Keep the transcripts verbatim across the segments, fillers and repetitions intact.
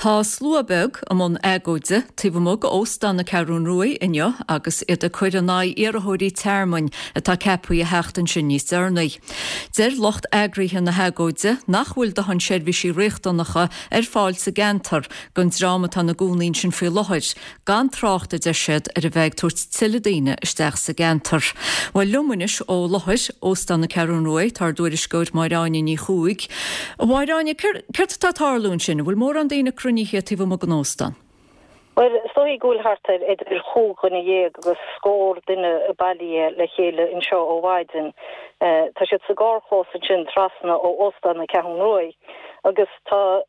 Tá slua beag i mbun agóide taobh amuigh d'Óstán na Ceathrún Ruaidh inniu agus iad ag cur in aghaidh iarrthóirí tearmainn atá ceaptha a theacht ansin níos deireanaí. Deir lucht eagraithe na hagóide nach bhfuil dóthain seirbhísí riachtanacha ar fáil sa gceantar don dream atá ina gcónaí ansin faoi láthair, gan trácht a deir siad ar a bheith ag tabhairt tuilleadh daoine isteach sa gceantar. Bhuel liom anois ó láthair Óstán na Ceathrún Ruaidh tá ár dtuairisceoir Máire Áine Ní Chuaig. A Mháire Áine, céard atá ag tarlú ansin, an bhfuil mórán daoine cruinnithe taobh amuigh den óstán? Bhuel, is dóigh go bhfuil thart ar idir chúig dhuine dhéag agus scór duine bailithe le chéile anseo ó mhaidin. Tá siad sa gcarrchlós ansin trasna ó Óstán na Ceathrún Ruaidh agus tá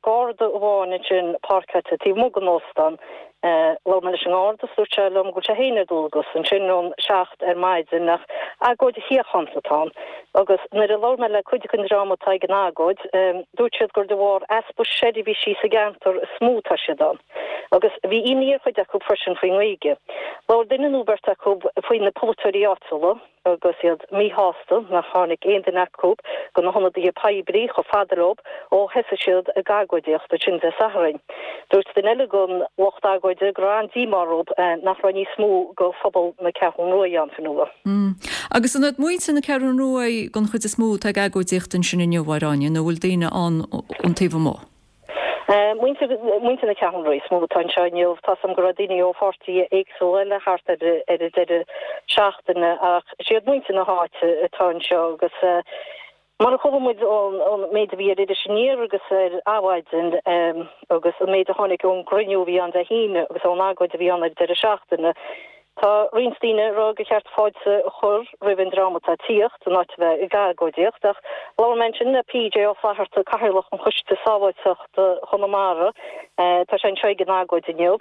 garda amháin ansin páirceáilte taobh amuigh den óstán. Labhair mé leis an ngarda is dúirt sé liom go bhfuil sé féin ar dualgas ansin ón seacht ar maidin ach agóid shíochánta atá ann agus nuair a labhair mé le cuid den dream atá ag an agóid dúirt siad gur de bharr easpa seirbhísí sa gceantar is mó atá siad ann. Agus bhí imní ar chuid acu freisin faoin nGaeilge. Labhair duine nó beirt acu faoi na polaiteoirí áitiúla agus iad míshásta nach tháinig aon duine acu de na hionadaithe poiblí chomh fada leo ó thosaigh siad ag agóidíocht ansin Dé Sathairn. Dúirt duine eile den lucht agóide go raibh an-díomá orthu nach raibh níos mó de phobal na Ceathrún Ruaidh ann fionnuar. Agus an iad muintir na Ceathrún Ruaidh den chuid is mó atá ag agóidíocht ansin inniu, a Mháire Áine, nó bhfuil daoine ann ón taobh amuigh? Muintir muintir na Ceathrún Ruaidh is mó atá anseo inniu. Tá 's agam go raibh daoine ó pháirtithe éagsúla eile thart ar ar an deireadh seachtaine ach is iad muintir na háite atá anseo agus mar a chuala muid ón ón méid a bhí ar Iris Aniar agus ar Adhmhaidin agus an méid a tháinig ón gcruinniú a bhí ann Dé hAoine agus ón agóid a bhí ann ar an deireadh seachtaine, Tá roinnt daoine ag rá gur cheart fáilte a chur roimh an dream atá ag tíocht, in áit a bheith ag agóidíocht, ach labhair mé ansin le PJ Ó Flatharta, Cathaoirleach an Choiste Sábháilteachta Chonamara, tá sé anseo ag an agóid inniu,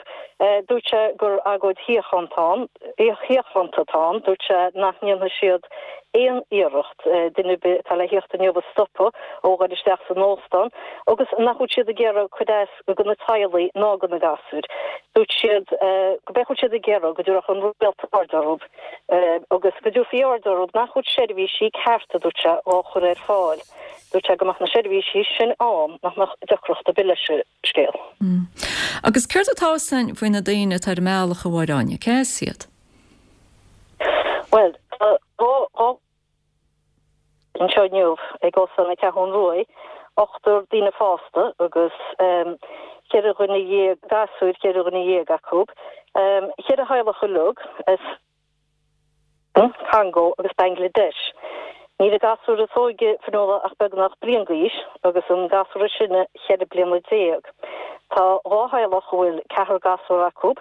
dúirt sé gur agóid shíochánta shíochánta atá ann, dúirt sé nach ndéanfaidh siad aon iarracht duine ar bith atá le thíocht inniu a stopadh ó dhul isteach san óstán agus nach bhfuil siad ag iarraidh cur as do na teaghlaigh ná do na gasúir. Dúirt siad go bhfuil siad ag iarraidh go dtabharfadh an rialtas aird orthu agus go dtabharfaí aird orthu nach bhfuil seirbhísí cearta, dúirt sé, á chur ar fáil. Dúirt sé go mbeadh na seirbhísí sin ann nach mbeadh deacracht ar bith leis an scéal. Agus céard atá 'fhios againn faoi na daoine atá ar an mbealach, a Mháire Áine? Cé as iad? Bhuel, tá dhá anseo inniu ag Óstán na Ceathrún Ruaidh, ochtar daoine fásta agus ceithre dhuine dhéag gasúir, ceithre dhuine dhéag acu, ceithre theaghlach uilig as Congo agus Bangladesh. Níl an gasúr is óige, Fionnuala, ach beagnach bliain d'aois agus an gasúr is sine ceithre bliana déag. Tá dhá theaghlach a bhfuil ceathrar gasúr acu,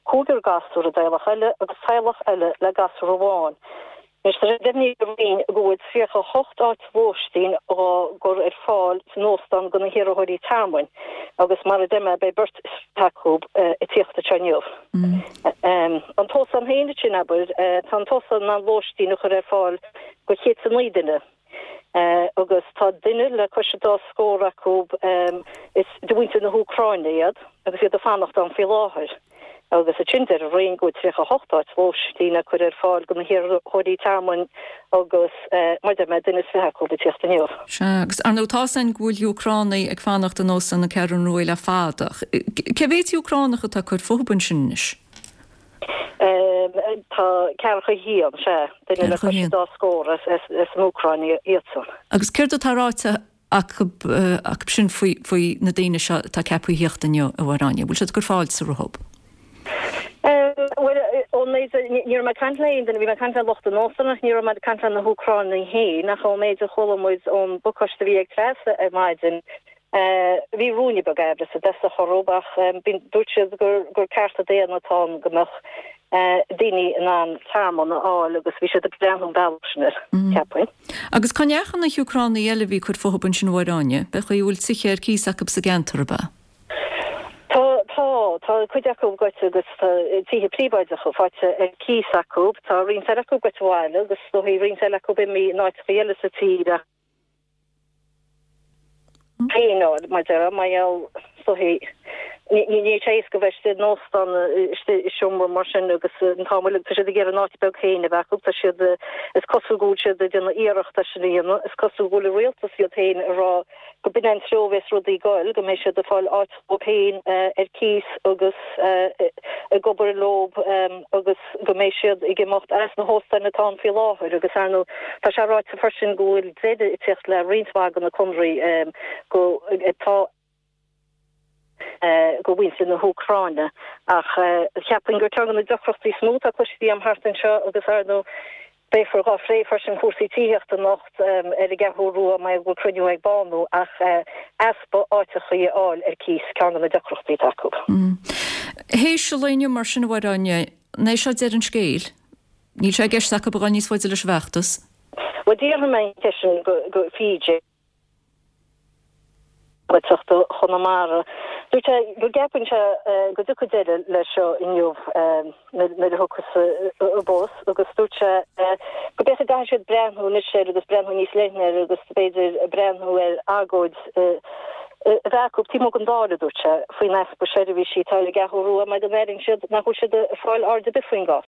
cúigear gasúr i dteaghlach eile agus teaghlach eile le gasúr amháin. Anois tá sé deimhnithe ag an Roinn go bhfuil tríocha a hocht áit lóistín á gcur ar fáil san óstán do na hiarrthóirí tearmainn agus mar a deir mé beidh beirt is fiche acu ag tíocht anseo inniu. An t-óstán féin ansin, abair, tá an t-óstán in ann lóistín a chur ar fáil do chéad is a naoi duine agus tá duine le cois an dá scór acu is de mhuintir na hÚcráine iad agus iad ag fanacht ann faoi láthair. Agus ansin deir an Roinn go bhfuil tríocha a hocht áit lóistín á cur ar fáil do na hiarrthóirí tearmainn agus, mar a deir mé, duine is fiche acu ag tíocht inniu. Sea, agus ar ndóigh tá 'fhios againn go bhfuil Úcránaigh ag fanacht in Óstán na Ceathrún Ruaidh le fada. Cé mhéad Úcránach atá ag cur fúthu ansin anois? Tá ceathracha a haon, sea, duine le cois an dá scór as an Úcráin iadsan. Agus céard atá ráite acu sin faoi na daoine seo atá ceaptha a thíocht inniu, a Mháire Áine? Bhfuil siad ag cur fáilte rompu? Bhuel, ón méid a, ní raibh mé ag caint le aon duine, bhí mé ag caint le lucht an óstáin ach ní raibh mé ag caint le na hÚcránaigh féin ach ón méid a chuala muid ón bpacáiste a bhí ag Treasa ar maidin, bhí ruainne beag aimhreas i dtosach orthu ach dúirt siad gur cearta daonna atá ann go mbeadh daoine in ann tearmann a fháil agus bhí siad ag breathnú an bealach sin air, cheapfainn. Agus cá ndeachaigh na hÚcránaigh eile a bhí ag cur fúthu ansin a Mháire Áine? B'é an chaoi a bhfuil tithe ar cíos acu sa gceantar, ab ea? Tá, tá. Tá cuid acu gaibhte agus tá tithe príobháideacha faighte ar cíos acu. Tá roinnt eile acu gaibhte abhaile agus is dóichí roinnt eile acu imithe in áiteacha eile sa tír ach féin, mar a déarfá, mar gheall, is dóichí, Níl sé éasca bheith istigh in óstán, istigh i seomra mar sin agus an t-am uilig tá siad ag iarraidh a n-áit beag féin a bheith acu. Tá siad, is cosúil go bhfuil siad ag déanamh iarracht é sin a dhéanamh. Is cosúil go bhfuil an rialtas iad féin ag rá go b'in é an treo a bheas rudaí ag goil, go mbeidh siad ag fáil áit dóibh féin ar cíos agus ag obair leo agus go mbeidh siad ag imeacht as na hóstáin atá ann faoi láthair agus ar ndóigh tá sé ráite freisin go bhfuil deireadh ag teacht le roinnt mhaith de na conraí go atá go mhuintir na hÚcráine ach cheapfainn gur ceann de na deacrachtaí is mó atá cloiste agam thart anseo agus ar ndóigh beifear dhá phlé freisin cúrsaí tithíochta anocht ar an gCeathrú Rua mar go bhfuil cruinniú ag Bánú ach easpa áiteachaí a fháil ar cíos ceann de na deacrachtaí atá acu. Théis an lae inniu mar sin a Mháire Áine, an é seo deireadh an scéil? Níl sé i gceist acu a dhul níos faide leis an bhfeachtas? Bhuel d'fhiafraigh mé an cheist sin go PJ. Gaeltachta Chonamara. Dúirt sé go gceapann sé go dtiocfaidh deireadh leis seo inniu nuair a thiocfas an bus agus dúirt sé go b'fhéidir go gcaithfidh siad breathnú anois air agus breathnú níos leithne air agus b'fhéidir breathnú ar agóid a bheith acu taobh amuigh den Dáil, a dúirt sé, faoin easpa seirbhísí atá ar an gCeathrú Rua mar go n-airíonn siad nach bhfuil siad ag fáil aird ar bith faoin gcás.